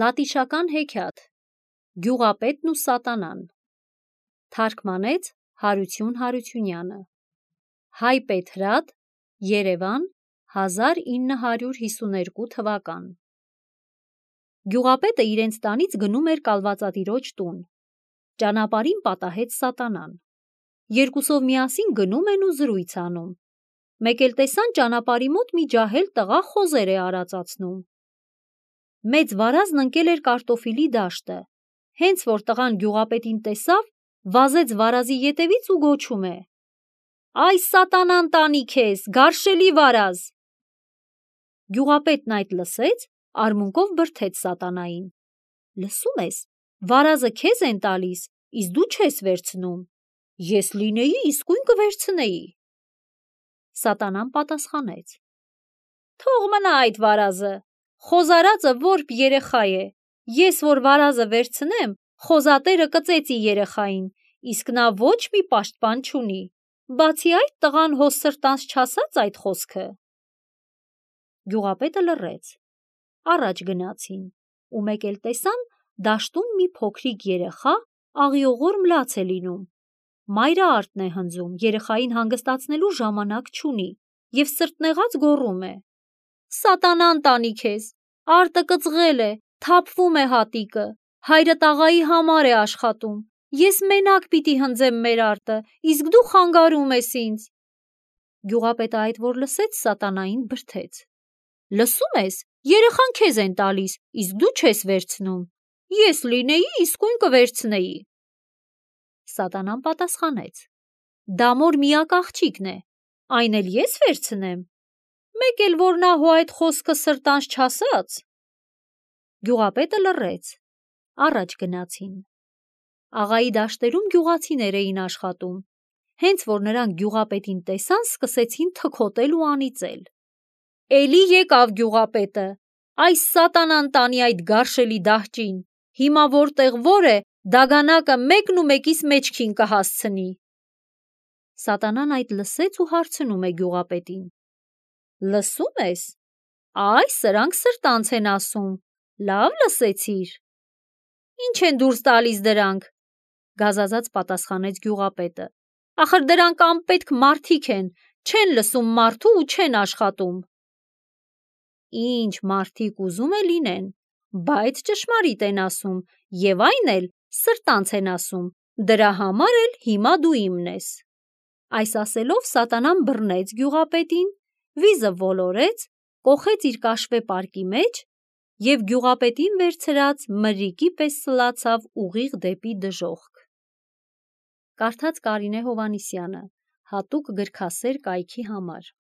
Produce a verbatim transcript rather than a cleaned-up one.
Լատիշական հեքիաթ Գյուղապետն ու սատանան Թարգմանեց Հարություն Հարությունյանը Հայ Պետրատ Երևան հազար ինը հարյուր հիսուներկու թվական Գյուղապետը իրենց տանից գնում էր կալվածատիրոջ տուն։ Ճանապարհին պատահեց սատանան։ Երկուսով միասին գնում են ու զրույց անում։ Մեկ էլ տեսան ճանապարհի մոտ մի ջահել տղա խոզեր է արածացնում։ Մեծ վարազն ընկել էր կարտոֆիլի դաշտը։ Հենց որ տղան գյուղապետին տեսավ, վազեց վարազի ետևից ու գոչում է. «Այ սատանան տանի քեզ, գարշելի վարազ»։ Գյուղապետն այդ լսեց, արմունկով բրդեց սատանային. «Լսում ես, վարազը քեզ են տալիս, իսկ դու չես վերցնում։ Ես լինեի, իսկույն կվերցնեի»։ Սատանան պատասխանեց. «Թող մնա այդ վարազը, խոզարածը որբ երեխա է, ես որ վարազը վերցնեմ, խոզատերը կծեծի երեխային, իսկ նա ոչ մի պաշտպան չունի, բացի այդ տղան հո սրտանց չասաց այդ խոսքը»։ Գյուղապետը լռեց։ Առաջ գնացին ու մեկ էլ տեսան դաշտում մի փոքրիկ երեխա աղիողոր մլաց է լինում։ Մայրը արտն է հնձում, երեխային հանգստացնելու ժամանակ չունի և սրտնեղած գոռում է. «Սատանան տանի քեզ, արտը կծղել է, թափվում է հատիկը, հայրդ աղայի համար է աշխատում, ես մենակ պիտի հնձեմ մեր արտը, իսկ դու խանգարում ես ինձ»։ Գյուղապետը այդ որ լսեց, սատանային բրդեց. «Լսում ես, երեխան քեզ են տալիս, իսկ դու չես վերցնում, ես լինեի, իսկույն կվերցնեի»։ Սատանան պատասխանեց. «Դա մոր միակ աղջիկն է, այն էլ ես վերցնեմ, մեկ էլ որ նա հո այդ խոսքը սրտանց չասաց»։ Գյուղապետը լռեց։ Առաջ գնացին։ Աղայի դաշտերում գյուղացիներ էին աշխատում։ Հենց որ նրանք գյուղապետին տեսան, սկսեցին թքոտել ու անիծել. «Էլի եկավ գյուղապետը, այս սատանան տանի այդ գարշելի դահճին, հիմա որտեղ որ է, դագանակը մեկն ու մեկիս մեջքին կհասցնի»։ Սատանան այդ լսեց ու հարցնում է գյուղապետին. «Լսում ես, այ սրանք սրտանց են ասում, լավ լսեցիր»։ «Ինչ են դուրս տալիս դրանք»։ Գազազած պատասխանեց գյուղապետը. «Ախր դրանք անպետք մարդիկ են, չեն լսում մարդու ու չեն աշխատում»։ «Ինչ մարդիկ ուզում է լինեն, բայց ճշմարիտ են ասում և այն էլ սրտանց են ասում, դրա համար էլ հիմա դու իմն ես»։ Այս ասելով սատանան բռնեց գյուղապետին, վիզը ոլորեց, կոխեց իր կաշվե պարկի մեջ և գյուղապետին վերցրած մրրիկի պես սլացավ ուղիղ դեպի դժոխք։ Կարդաց Կարինե Հովհաննիսյանը, հատուկ գրքասեր կայքի համար։